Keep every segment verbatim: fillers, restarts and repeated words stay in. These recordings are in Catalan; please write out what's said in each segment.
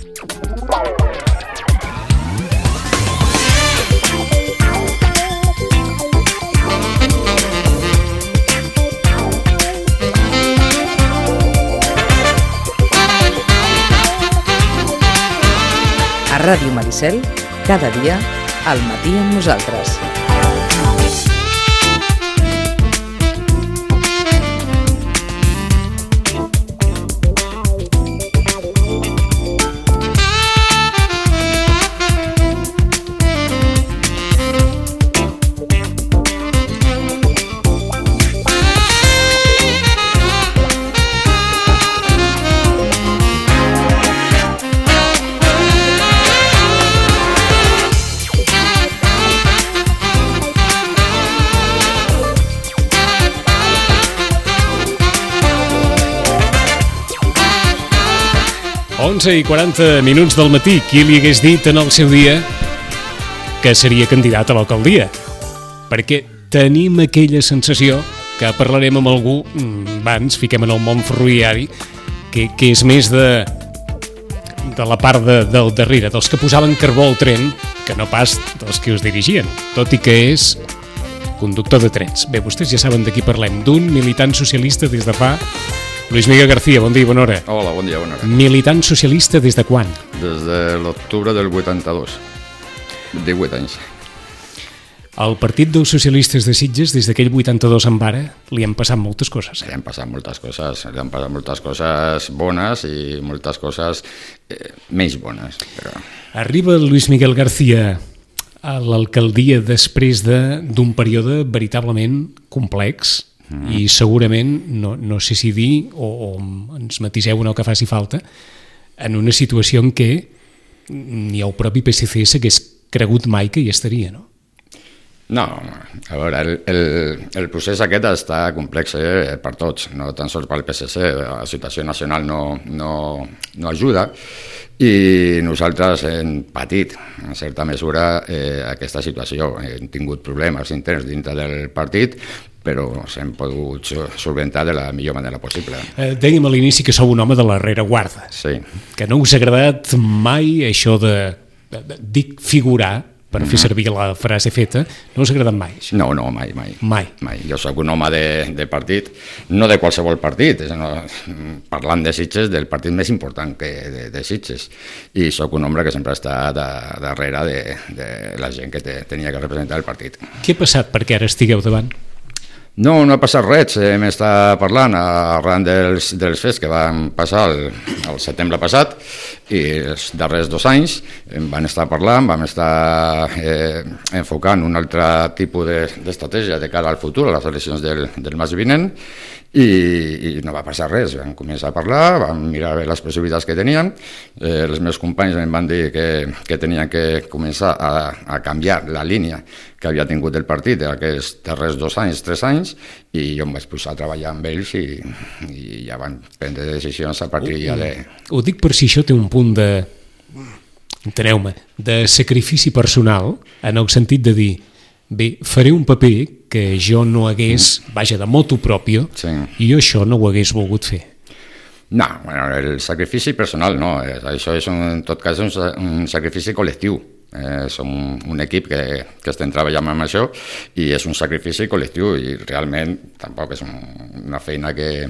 A Ràdio Maricel, cada dia, al matí amb nosaltres. onze i quaranta minuts del matí. Qui li hagués dit en el seu dia que seria candidat a l'alcaldia? Perquè tenim aquella sensació que parlarem amb algú, va, ens fiquem en el món ferroviari, que, que és més de, de la part de, del darrere, dels que posaven carbó al tren, que no pas dels que us dirigien, tot i que és conductor de trens. Bé, vostès ja saben de qui parlem, d'un militant socialista des de fa... Luis Miguel García, bon dia i bona hora. Hola, bon dia, bona hora. Militant socialista des de quan? Des de l'octubre del vuitanta-dos. divuit anys. Al Partit dels Socialistes de Sitges, des d'aquell vuitanta-dos en vara, li han passat moltes coses. Li han passat moltes coses, li han passat moltes coses bones i moltes coses eh, menys bones. Però... Arriba Luis Miguel García a l'alcaldia després de, d'un període veritablement complex, mm. i segurament, no, no sé si dir, o, o ens matiseu en el que faci falta, en una situació en què ni el propi P S C s'hagués cregut mai que hi estaria, no? No, a veure, el, el, el procés aquest està complex eh, per tots, no tan sols pel P S C, la situació nacional no, no, no ajuda, i nosaltres hem patit, en certa mesura, eh, aquesta situació. Hem tingut problemes interns dintre del partit, però s'hem pogut solventar de la millor manera possible. Eh, dèiem a l'inici que sou un home de la rereguarda, sí. Que no us ha agradat mai això de, de, de dic figurar, per fer servir la frase feta, no us ha agradat mai? Això? No, no, mai, mai. Mai? Mai. Jo sóc un home de, de partit, no de qualsevol partit, no, parlant de Sitges, del partit més important que de, de Sitges, i sóc un home que sempre està de, darrere de, de la gent que te, tenia que representar el partit. Què ha passat perquè ara estigueu davant? No, no ha passat res, hem estat parlant arran dels, dels fets que van passar el, el setembre passat, i els darrers dos anys van estar parlant, vam estar eh, enfocant un altre tipus d'estratègia de cara al futur, a les eleccions del, del maig vinent, i, i no va passar res. Vam començar a parlar, vam mirar les possibilitats que teníem, eh, els meus companys em van dir que, que tenien que començar a, a canviar la línia que havia tingut el partit aquests darrers dos anys, tres anys, i jo em vaig posar a treballar amb ells i, i ja van prendre decisions a partir ja de... Ho dic per si això té un punt de, enteneu-me, de sacrifici personal, en el sentit de dir, bé, faré un paper que jo no hagués, vaja, de motu propio, sí. I jo això no ho hagués volgut fer. No, bueno, el sacrifici personal no, això és un, en tot cas un, un sacrifici col·lectiu. Eh, som un equip que, que estem treballant amb això i és un sacrifici col·lectiu i realment tampoc és un, una feina que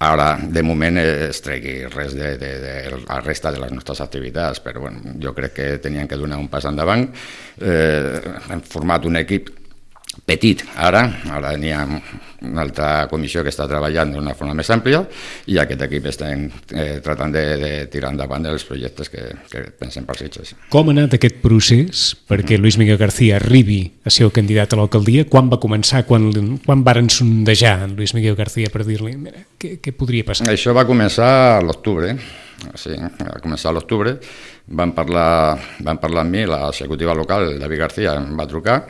ara de moment es tregui res de, de, de la resta de les nostres activitats, però bueno, jo crec que tenien que donar un pas endavant. Eh, hem format un equip petit, ara, ara n'hi ha una altra comissió que està treballant d'una forma més àmplia i aquest equip estem eh, tratant de, de tirar endavant els projectes que, que pensem per Sitges. Com ha anat aquest procés perquè mm-hmm. Luis Miguel García arribi a ser el candidat a l'alcaldia? Quan va començar? Quan, quan varen sondejar en Luis Miguel García per dir-li, mira, què, què podria passar? Això va començar a l'octubre, sí, va començar a l'octubre, van parlar, van parlar amb mi, l'executiva local, David García, em va trucar,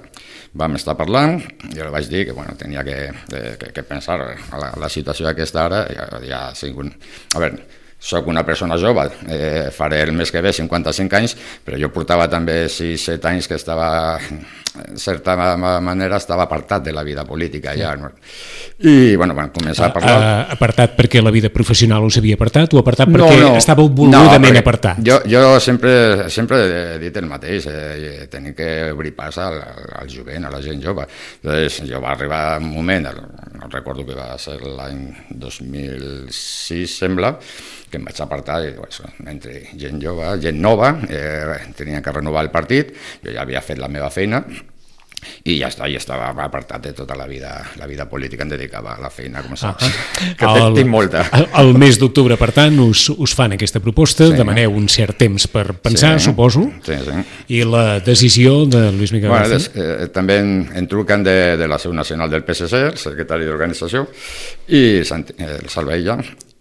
vam estar parlant, jo li vaig dir que bueno, tenia que, que, que pensar a la, la situació aquesta ara, ja, ja sigut... A veure, soc una persona jove, eh, faré el mes que ve cinquanta-cinc anys, però jo portava també sis set anys que estava, en certa manera, estava apartat de la vida política ja. No? I, bueno, van començar a parlar... Uh, apartat perquè la vida professional us havia apartat o apartat perquè no, no. estàveu voludament no, apartat? Jo, jo sempre, sempre he dit el mateix, eh, tenim que obrir pas al, al jovent, a la gent jove. Llavors, jo va arribar un moment, no recordo que va ser l'any dos mil sis, sembla, que em vaig apartar i, pues, entre gent jove, gent nova, eh, tenia que renovar el partit, jo ja havia fet la meva feina i ja està, ja estava apartat de tota la vida, la vida política, em dedicava a la feina, com saps, ah, que el, tinc molta. El mes d'octubre, per tant, us, us fan aquesta proposta, sí. Demaneu un cert temps per pensar, sí. Suposo, sí, sí. I la decisió de Luis Miguel bueno, des, eh, també en, en truquen de, de la seu nacional del P S C, el secretari d'organització, i el Salveilla,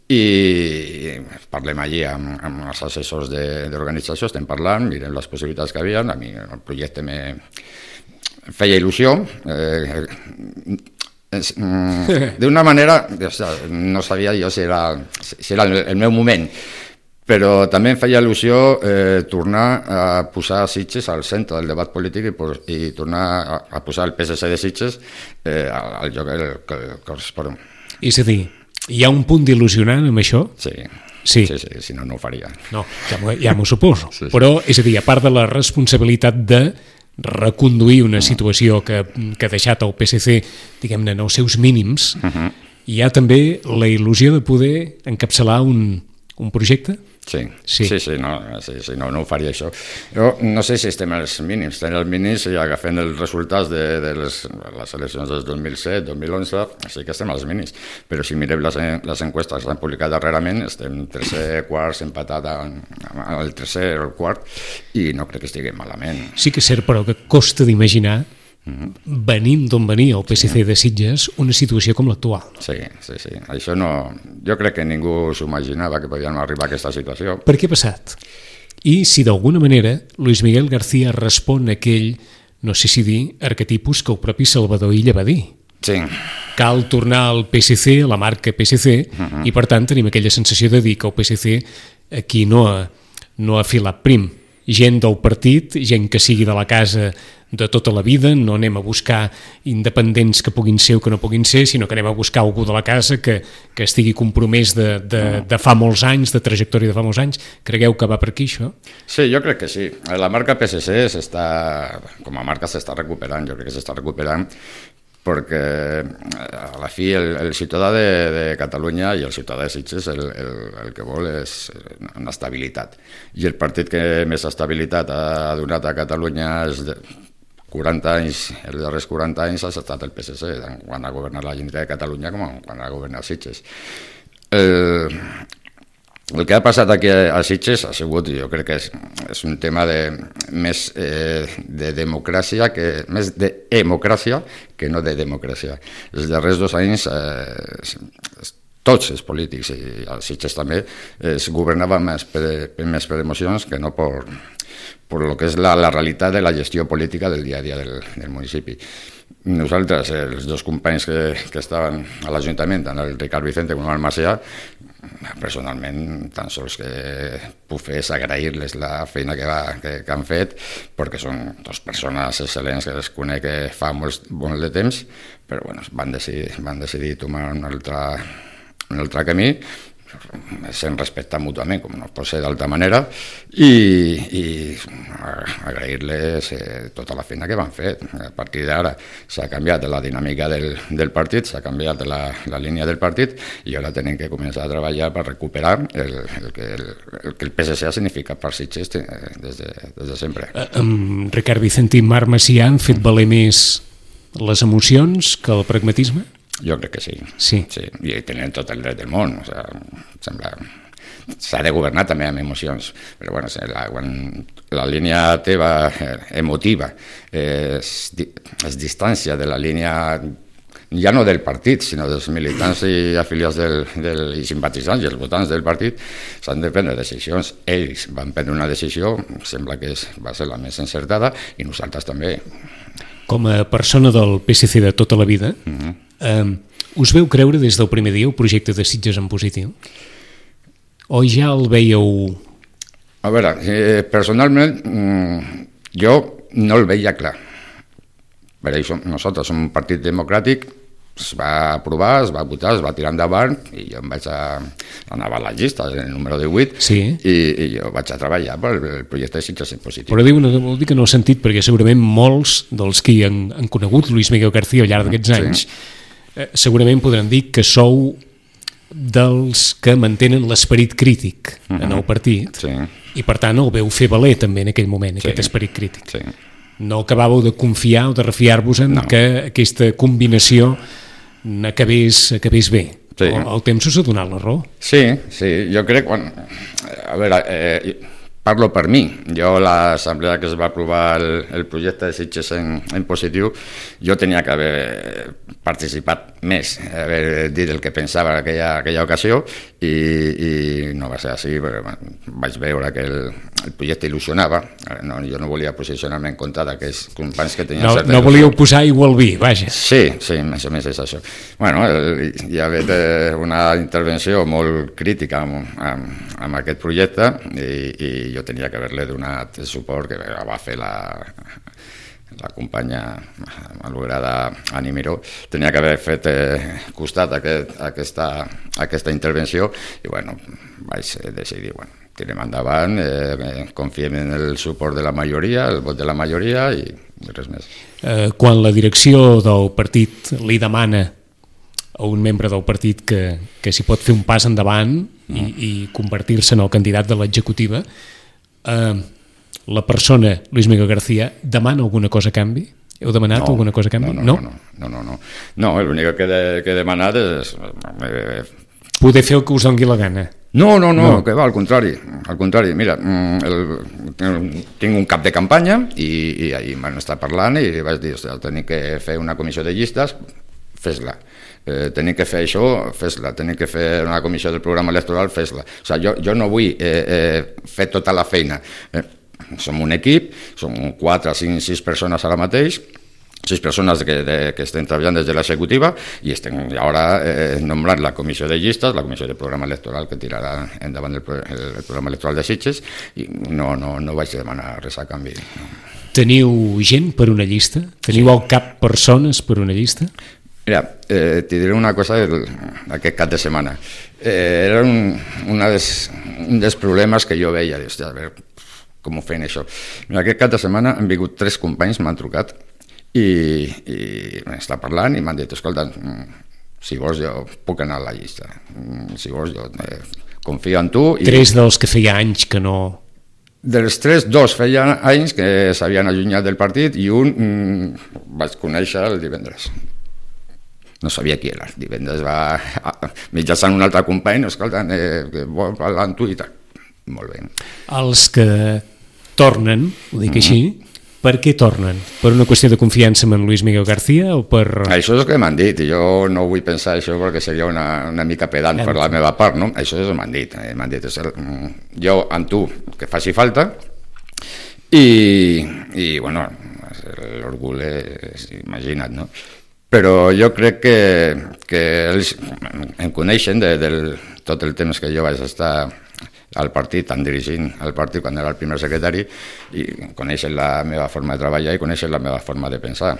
i parlem allí amb, amb els assessors d'organització, estem parlant, mirem les possibilitats que havia, a mi el projecte me feia il·lusió, eh, d'una manera, no sabia jo si era, si era el meu moment, però també em feia il·lusió eh, tornar a posar Sitges al centre del debat polític i, i tornar a, a posar el P S C de Sitges eh, al, al lloc que, que correspon. És a dir, hi ha un punt d'il·lusionant amb això? Sí, sí, sí, sí, si no, no ho faria. No, ja, ja m'ho suposo. Sí, sí. Però, és a dir, a part de la responsabilitat de reconduir una situació que, que ha deixat el P S C, diguem-ne, en els seus mínims, uh-huh. Hi ha també la il·lusió de poder encapçalar un, un projecte? Sí, sí, sí, sí, no, sí, sí no, no ho faria això. Jo no sé si estem als mínims, estem als mínims i agafant els resultats de, de les, les eleccions del dos mil set, dos mil onze, sí que estem als mínims, però si mirem les, les enquestes que s'han publicat darrerament, estem tercer, quart, empatat al tercer o el quart, i no crec que estiguem malament. Sí que és cert, però que costa d'imaginar, venint d'on venia el P S C de Sitges, una situació com l'actual. Sí, sí, sí. Això no... Jo crec que ningú s'ho imaginava que podíem arribar a aquesta situació. Per què ha passat? I si d'alguna manera Luis Miguel García respon a aquell, no sé si dir, arquetipus que el propi Salvador Illa va dir. Sí. Cal tornar al P S C, a la marca P S C, uh-huh. I per tant tenim aquella sensació de dir que el P S C aquí no ha, no ha filat prim. Gent del partit, gent que sigui de la casa de tota la vida, no anem a buscar independents que puguin ser o que no puguin ser, sinó que anem a buscar algú de la casa que, que estigui compromès de, de, de fa molts anys, de trajectòria de fa molts anys. Cregueu que va per aquí, això? Sí, jo crec que sí. La marca P S C s'està, com a marca s'està recuperant, jo crec que s'està recuperant perquè a la fi el, el ciutadà de, de Catalunya i el ciutadà de Sitges el, el, el que vol és una estabilitat. I el partit que més estabilitat ha donat a Catalunya és de quaranta anys, els darrers quaranta anys ha estat el P S C, quan ha governat la Generalitat de Catalunya com quan ha governat Sitges. El, el que ha passat aquí a Sitges ha sigut, jo crec que és, és un tema de, més eh, de democràcia, que, més d'emocràcia que no de democràcia. Els darrers dos anys eh, tots els polítics, i a Sitges també, es governava més per, més per emocions que no per, per lo que és la, la realitat de la gestió política del dia a dia del, del municipi. Nosaltres, els dos companys que, que estaven a l'Ajuntament, tant el Ricard Vicente com el Macià, personalment, tan sols que puc fer és agrair-les la feina que, va, que, que han fet, perquè són dues persones excel·lents que les conec fa molt, molt de temps, però bueno, van decidir, van decidir tomar un altre, un altre camí, sent respectat mútuament, com no pot ser d'altra manera, i, i agrair-les eh, tota la feina que van fer. A partir d'ara s'ha canviat la dinàmica del, del partit, s'ha canviat la, la línia del partit, i ara tenim que començar a treballar per recuperar el, el, que, el, el que el P S C ha significat per Sitges des de, des de sempre. Um, Ricard Vicente i Marc Macià han fet valer més les emocions que el pragmatisme? Jo crec que sí. Sí. Sí. I tenen tot el dret del món. O sigui, sembla... S'ha de governar també amb emocions, però bueno, la, quan la línia teva eh, emotiva eh, es, es distància de la línia ja no del partit, sinó dels militants i afiliats del, del, i simpatitzants i els votants del partit, s'han de prendre decisions. Ells van prendre una decisió, sembla que és, va ser la més encertada, i nosaltres també. Com a persona del P S C de tota la vida, uh-huh. eh, us veu creure des del primer dia el projecte de Sitges en positiu? o ja el veieu? A veure, eh, personalment jo no el veia clar. Per això nosaltres som un partit democràtic, es va aprovar, es va votar, es va tirar endavant i jo em vaig a anar a les llistes, el número divuit, sí. i, i jo vaig a treballar pel projecte de Sitges en positiu. Però diu, no, vol dir que no he sentit, perquè segurament molts dels qui han, han conegut Luis Miguel García al llarg d'aquests anys sí. eh, segurament podran dir que sou dels que mantenen l'esperit crític uh-huh. en el partit sí. i per tant el veu fer valer també en aquell moment, sí. aquest esperit crític. Sí. No acabàveu de confiar o de refiar-vos en no. que aquesta combinació acabés, acabés bé. Sí. El, el temps us ha donat la raó. Sí, sí, jo crec quan... A veure, eh, parlo per mi. Jo a l'assemblea que es va aprovar el, el projecte de Sitges en, en positiu, jo tenia que haver participat més, haver dit el que pensava en aquella, aquella ocasió i, i no va ser així, però bueno, vaig veure que el, el projecte il·lusionava. No, jo no volia posicionar-me en contra d'aquells companys que tenien no, certa no volíeu posar aigua al vi, vaja. Sí, sí, més o menys és això. Bueno, el, hi ha hagut una intervenció molt crítica amb, amb, amb aquest projecte i, i jo tenia que haver-li donat el suport que va fer la... la companya malograda Ani Miró, tenia que haver fet eh, costat a, aquest, a, aquesta, a aquesta intervenció i bueno, vaig decidir, bueno, tirem endavant, eh, confiem en el suport de la majoria, el vot de la majoria i res més. Eh, quan la direcció del partit li demana a un membre del partit que, que s'hi pot fer un pas endavant mm. i, i convertir-se en el candidat de l'executiva, eh, la persona, Luis Miguel García, demana alguna cosa a canvi? Heu demanat no, alguna cosa a canvi? No, no, no. No, no, no. no l'únic que, de, que he demanat és... Eh, poder fer el que us doni la gana. No, no, no, no, que va, al contrari. Al contrari, mira, el, el, tinc un cap de campanya i, i ahir m'han estat parlant i vaig dir, tenim que fer una comissió de llistes, fes-la. Eh, tenim que fer això, fes-la. Tenim que fer una comissió del programa electoral, fes-la. O sigui, jo, jo no vull eh, eh, fer tota la feina. Eh, som un equip, som quatre, cinc, sis persones ara mateix, sis persones que, de, que estem treballant des de l'executiva i estem ara eh, nombrant la comissió de llistes, la comissió de programa electoral que tirarà endavant el, el, el programa electoral de Sitges i no, no, no vaig demanar res a canvi. No. Teniu gent per una llista? Teniu sí. al cap persones per una llista? Mira, eh, t'hi diré una cosa d'aquest cap de setmana. Eh, era un, una des, un dels problemes que jo veia, hòstia, a veure, com ho feien això. Mira, aquest cap de setmana han vingut tres companys, m'han trucat i, i m'han estat parlant i m'han dit, escolta, si vols jo puc anar a la llista, si vols jo eh, confio en tu. I... Tres dels que feia anys que no... Dels tres, dos feien anys que s'havien allunyat del partit i un mm, vaig conèixer el divendres. No sabia qui era. Divendres va mitjançant un altre company, escolta, eh, que vol parlar amb tu i tal. Molt bé. Els que tornen, ho dic mm-hmm. així, per què tornen? Per una qüestió de confiança en Luis Miguel García o per... Això és el que m'han dit, i jo no vull pensar això perquè seria una, una mica pedant per la meva part, no? Això és el que m'han dit. Eh? M'han dit, jo amb tu, que faci falta, i, i bueno, l'orgull és imagina't, no? Però jo crec que, que ells em coneixen de, de tot el temps que jo vaig estar al partit, tant dirigint al partit quan era el primer secretari, i coneixen la meva forma de treballar i coneixen la meva forma de pensar.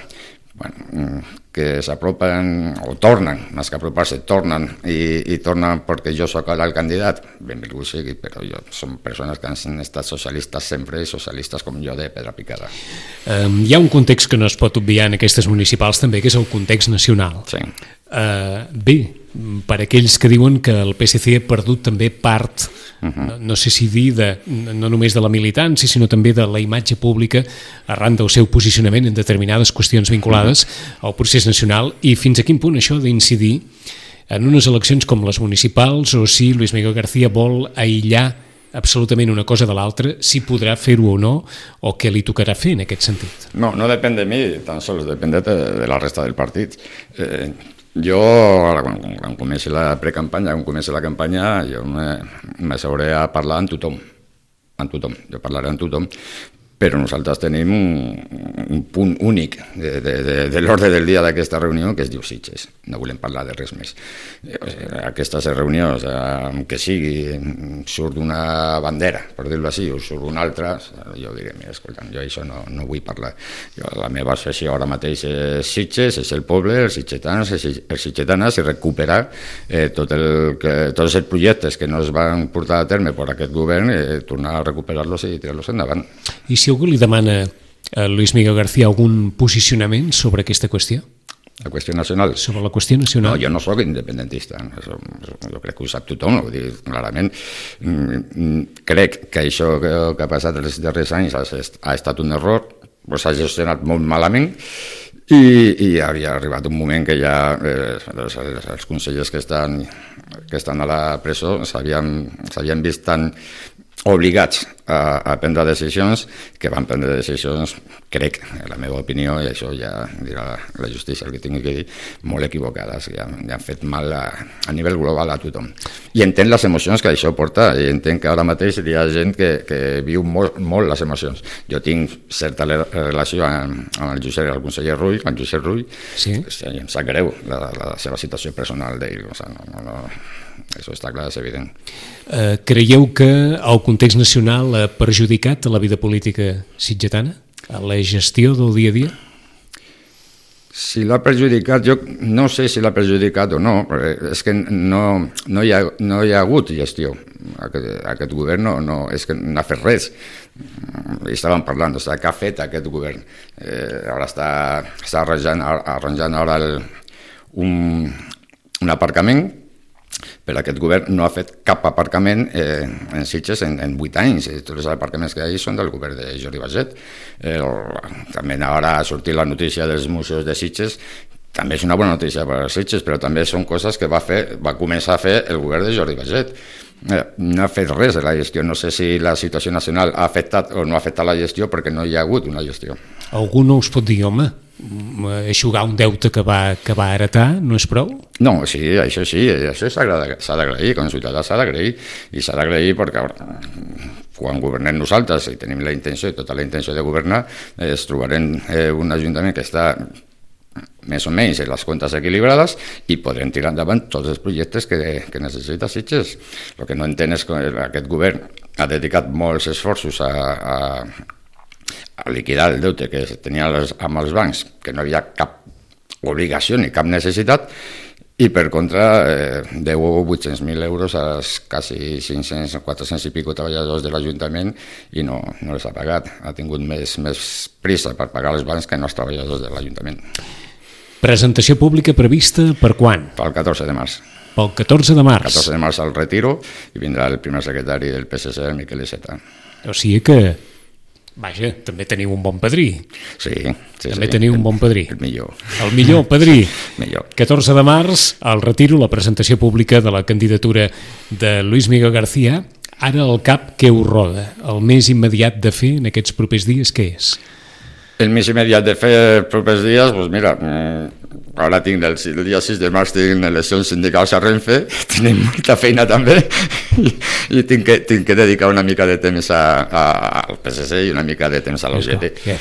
Bueno, que s'apropen, o tornen, més que apropar-se, tornen, i, i tornen perquè jo sóc ara el candidat, benvingut sigui, però jo, són persones que han estat socialistes sempre, socialistes com jo de pedra picada. Um, hi ha un context que no es pot obviar en aquestes municipals també, que és el context nacional. Sí. Uh, bé, per aquells que diuen que el P S C ha perdut també part, uh-huh. no, no sé si dir, de, no només de la militància, sinó també de la imatge pública arran del seu posicionament en determinades qüestions vinculades uh-huh. al procés nacional, i fins a quin punt això ha d'incidir en unes eleccions com les municipals, o si Luis Miguel García vol aïllar absolutament una cosa de l'altra, si podrà fer-ho o no, o què li tocarà fer en aquest sentit. No, no depèn de mi, tan sols depèn de, de la resta del partit. Eh, jo, quan, quan comenci la precampanya, quan comenci la campanya, jo m'asseuré a parlar amb tothom, amb tothom, jo parlaré amb tothom, però nosaltres tenim un, un punt únic de, de, de, de l'ordre del dia d'aquesta reunió que es diu Sitges, no volem parlar de res més. Aquestes reunions, eh, que sigui, surt una bandera, per dir-ho així, o surt una altra, jo diré, mira, escolta, jo això no, no vull parlar. Jo, la meva associació ara mateix és Sitges, és el poble, els sitgetans, els sitgetanes, i recuperar eh, tot el, que, tots els projectes que no es van portar a terme per aquest govern, eh, tornar a recuperar-los i tirar-los endavant. I si algú li demana a Luis Miguel García algun posicionament sobre aquesta qüestió? La qüestió nacional? Sobre la qüestió nacional? No, jo no soc independentista, això, jo crec que ho sap tothom, ho dic clarament. Crec que això que, que ha passat els darrers anys ha, ha estat un error, s'ha gestionat molt malament, i, i havia arribat un moment que ja eh, els, els consellers que estan, que estan a la presó s'havien vist tan obligats a, a prendre decisions que van prendre decisions, crec, en la meva opinió, i això ja dirà la justícia el que tingui que dir, molt equivocades, que han, han fet mal a, a nivell global a tothom. I entenc les emocions que això porta, i entenc que ara mateix hi ha gent que, que viu molt, molt les emocions. Jo tinc certa relació amb, amb el Josep, el conseller Rull, amb Josep Rull, sí? Em sap greu la, la seva situació personal d'ell, o sigui, no, no, no. Això està clar, és evident. Uh, creieu que el context nacional ha perjudicat la vida política sitgetana? A la gestió del dia a dia? Si l'ha perjudicat, jo no sé si l'ha perjudicat o no, però és que no, no, hi, ha, no hi ha hagut gestió. Aquest, aquest govern no, no, és que no ha fet res. I estàvem parlant, o sigui, què ha fet aquest govern? Eh, ara està, està arranjant, arranjant ara el, un, un aparcament, però aquest govern no ha fet cap aparcament eh, en Sitges en, en vuit anys. Tots els aparcaments que hi ha són del govern de Jordi Baiget. Eh, també ara ha sortit la notícia dels museus de Sitges, també és una bona notícia per a Sitges, però també són coses que va, fer, va començar a fer el govern de Jordi Baiget. Eh, no ha fet res de la gestió. No sé si la situació nacional ha afectat o no ha afectat la gestió perquè no hi ha hagut una gestió. Algú no us pot dir, home, eixugar un deute que va, que va heretar no és prou? No, sí, això sí, això s'ha d'agrair, com a ciutadà s'ha d'agrair, i s'ha d'agrair perquè quan governem nosaltres i tenim la intenció, tota la intenció de governar, es trobarem eh, un ajuntament que està més o menys en les comptes equilibrades i podrem tirar endavant tots els projectes que, que necessita Sitges. El que no entenc és que aquest govern ha dedicat molts esforços a, a a liquidar el deute que tenia amb els bancs, que no hi havia cap obligació ni cap necessitat, i per contra eh, deu vuit-cents mil euros als quasi cinc-cents, quatre-cents i pico treballadors de l'Ajuntament i no, no els ha pagat. Ha tingut més, més prisa per pagar els bancs que no els treballadors de l'Ajuntament. Presentació pública prevista per quan? Pel catorze de març. Pel catorze de març? catorze de març al retiro i vindrà el primer secretari del P S C, el Miquel Iceta. O sigui que vaja, també teniu un bon padrí. Sí, sí. També sí. teniu un bon padrí. El millor. El millor padrí. Millor. catorze de març, al retiro, la presentació pública de la candidatura de Luis Miguel García. Ara el cap què us roda? El més immediat de fer en aquests propers dies, què és? El més immediat de fer els propers dies, doncs mira, ara tinc el, el dia sis de març tinc eleccions sindicals a Renfe, tenim molta feina també i, i tinc, que, tinc que dedicar una mica de temps a, a, al P S C i una mica de temps a l'O G T. Yeah.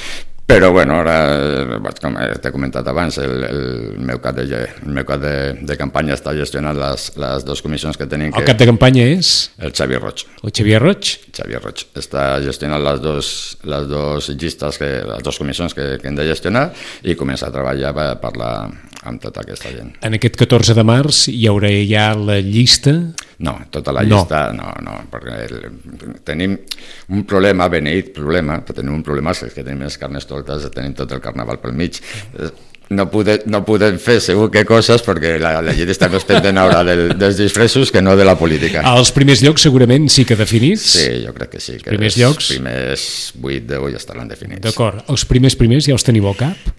Però bueno, ara, com t'he comentat abans, el, el meu cap, de, el meu cap de, de campanya està gestionant les, les dues comissions que tenim. El cap de campanya és? El Xavier Roig. El Xavier Roig? Xavier Roig. Està gestionant les dues, les dues llistes, que, les dues comissions que, que hem de gestionar i començar a treballar per parlar amb tota aquesta gent. En aquest catorze de març hi haurà ja la llista? No, tota la llista no, no, no perquè el, tenim un problema, beneït problema, però tenim un problema és que tenim les carnestoltes, tenim tot el carnaval pel mig. No podem, no podem fer segur que coses perquè la, la gent està més pendent ara del, dels disfressos que no de la política. Als primers llocs segurament sí que definits? Sí, jo crec que sí. Que primers els llocs? primers vuit deu ja estaran definits. D'acord. Els primers primers ja els teniu al cap?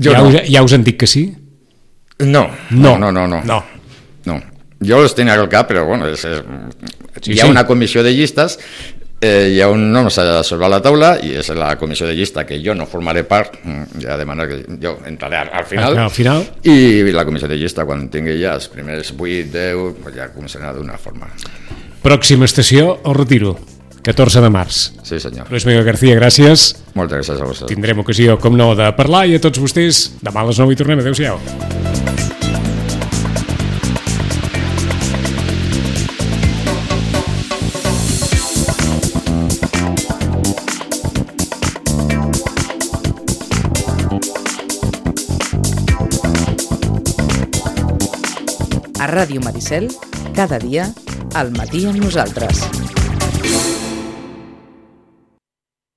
Jo ja, no. us, ja us han dit que sí? No, no, no, no. no. no. no. Jo els tenia al cap, però bueno, és, és, sí, hi ha sí. una comissió de llistes, eh, hi ha un nom sobre la taula i és la comissió de llista que jo no formaré part, ja de manera que jo entraré al final, al final. I la comissió de llista quan tingui ja els primers vuit, deu, ja començarà d'una forma. Pròxima estació, el retiro. catorze de març. Sí, senyor. Luis Miguel García, gràcies. Moltes gràcies a vosaltres. Tindrem ocasió, com no, de parlar, i a tots vostès, demà a les nou hi tornem. Adéu-siau. A Ràdio Maricel, cada dia, al matí amb nosaltres.